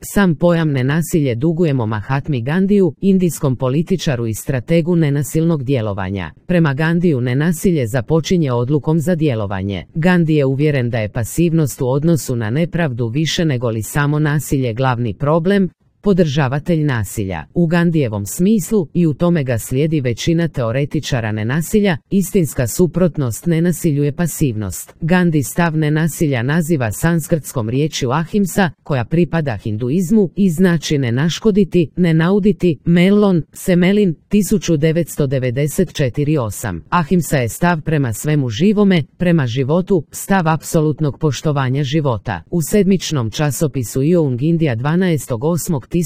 Sam pojam nenasilje dugujemo Mahatmi Gandhiju, indijskom političaru i strategu nenasilnog djelovanja. Prema Gandhiju nenasilje započinje odlukom za djelovanje. Gandhi je uvjeren da je pasivnost u odnosu na nepravdu više nego li samo nasilje glavni problem, podržavatelj nasilja. U Gandhijevom smislu, i u tome ga slijedi većina teoretičara nenasilja, istinska suprotnost nenasilju je pasivnost. Gandhi stav nenasilja naziva sanskrtskom riječju ahimsa, koja pripada hinduizmu i znači ne naškoditi, ne nauditi, Mellon, Semelin, 1994-8. Ahimsa je stav prema svemu živome, prema životu, stav apsolutnog poštovanja života. U sedmičnom časopisu Young India 12.8.1928.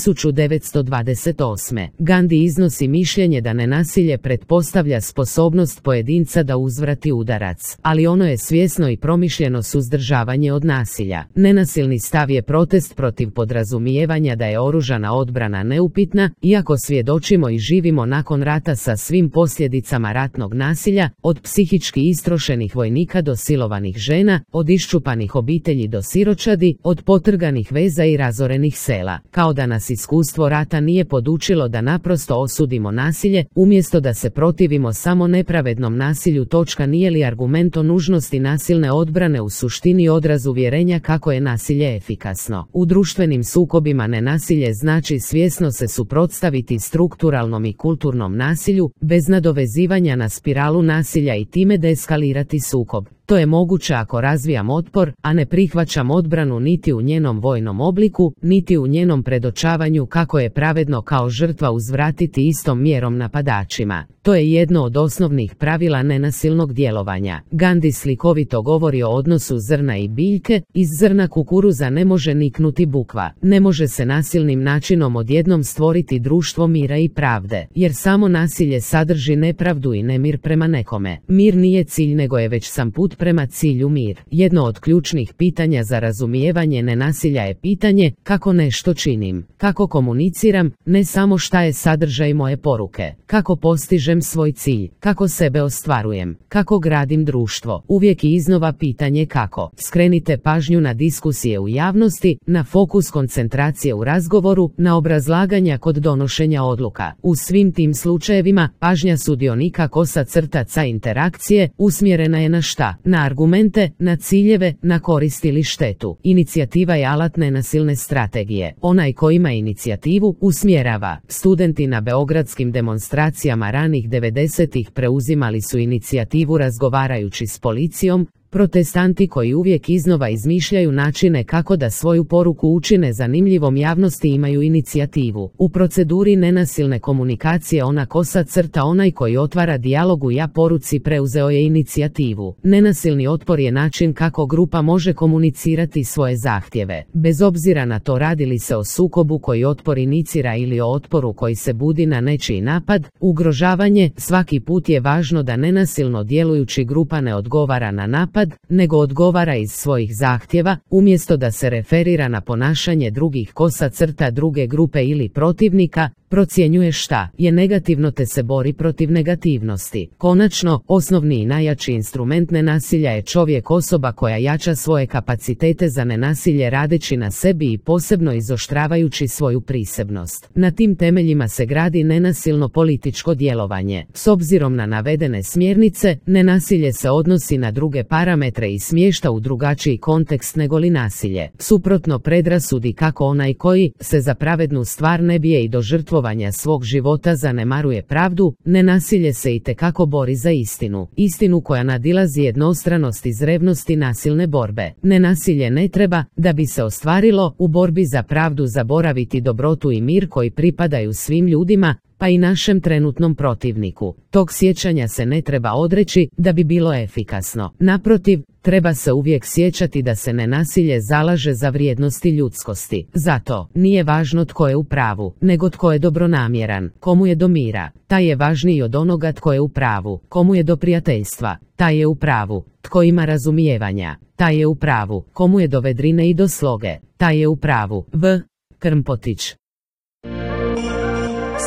Gandhi iznosi mišljenje da nenasilje pretpostavlja sposobnost pojedinca da uzvrati udarac, ali ono je svjesno i promišljeno suzdržavanje od nasilja. Nenasilni stav je protest protiv podrazumijevanja da je oružana odbrana neupitna, iako svjedočimo i živimo nakon rata sa svim posljedicama ratnog nasilja, od psihički istrošenih vojnika do silovanih žena, od iščupanih obitelji do siročadi, od potrganih veza i razorenih sela. Kao da nas iskustvo rata nije podučilo da naprosto osudimo nasilje, umjesto da se protivimo samo nepravednom nasilju. Nije li argument o nužnosti nasilne odbrane u suštini odraz uvjerenja kako je nasilje efikasno? U društvenim sukobima nenasilje znači svjesno se suprotstaviti strukturalnom i kulturnom nasilju, bez nadovezivanja na spiralu nasilja i time deeskalirati sukob. To je moguće ako razvijam otpor, a ne prihvaćam odbranu niti u njenom vojnom obliku, niti u njenom predočavanju kako je pravedno kao žrtva uzvratiti istom mjerom napadačima. To je jedno od osnovnih pravila nenasilnog djelovanja. Gandhi slikovito govori o odnosu zrna i biljke. Iz zrna kukuruza ne može niknuti bukva. Ne može se nasilnim načinom odjednom stvoriti društvo mira i pravde, jer samo nasilje sadrži nepravdu i nemir prema nekome. Mir nije cilj, nego je već sam put prema cilju mir. Jedno od ključnih pitanja za razumijevanje nenasilja je pitanje kako nešto činim, kako komuniciram, ne samo šta je sadržaj moje poruke, kako postižem svoj cilj, kako sebe ostvarujem, kako gradim društvo. Uvijek i iznova pitanje kako. Skrenite pažnju na diskusije u javnosti, na fokus koncentracije u razgovoru, na obrazlaganja kod donošenja odluka. U svim tim slučajevima pažnja sudionika kosa crtaca interakcije usmjerena je na šta? Na argumente, na ciljeve, na korist ili štetu. Inicijativa je alat nenasilne strategije. Onaj ko ima inicijativu usmjerava. Studenti na beogradskim demonstracijama ranih 90-ih preuzimali su inicijativu razgovarajući s policijom. Protestanti koji uvijek iznova izmišljaju načine kako da svoju poruku učine zanimljivom javnosti imaju inicijativu. U proceduri nenasilne komunikacije ona kosa crta, onaj koji otvara dijalog u ja poruci preuzeo je inicijativu. Nenasilni otpor je način kako grupa može komunicirati svoje zahtjeve. Bez obzira na to radi li se o sukobu koji otpor inicira ili o otporu koji se budi na nečiji napad, ugrožavanje, svaki put je važno da nenasilno djelujući grupa ne odgovara na napad, nego odgovara iz svojih zahtjeva, umjesto da se referira na ponašanje drugih kosa crta druge grupe ili protivnika, procjenjuje šta je negativno te se bori protiv negativnosti. Konačno, osnovni i najjači instrument nenasilja je čovjek, osoba koja jača svoje kapacitete za nenasilje radeći na sebi i posebno izoštravajući svoju prisebnost. Na tim temeljima se gradi nenasilno političko djelovanje. S obzirom na navedene smjernice, nenasilje se odnosi na druge parametre i smješta u drugačiji kontekst negoli nasilje. Suprotno predrasudi kako onaj koji se za pravednu stvar ne bije i do žrtvovanja svog života zanemaruje pravdu, nenasilje se itekako bori za istinu. Istinu koja nadilazi jednostranost iz revnosti nasilne borbe. Nenasilje ne treba, da bi se ostvarilo, u borbi za pravdu zaboraviti dobrotu i mir koji pripadaju svim ljudima, pa i našem trenutnom protivniku. Tog sjećanja se ne treba odreći da bi bilo efikasno. Naprotiv, treba se uvijek sjećati da se nenasilje zalaže za vrijednosti ljudskosti. Zato, nije važno tko je u pravu, nego tko je dobronamjeran, komu je do mira. Taj je važniji od onoga tko je u pravu, komu je do prijateljstva. Taj je u pravu, tko ima razumijevanja. Taj je u pravu, komu je do vedrine i do sloge. Taj je u pravu. V. Krmpotić.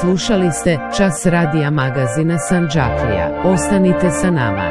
Slušali ste Čas radija magazina Sanđaklija. Ostanite sa nama.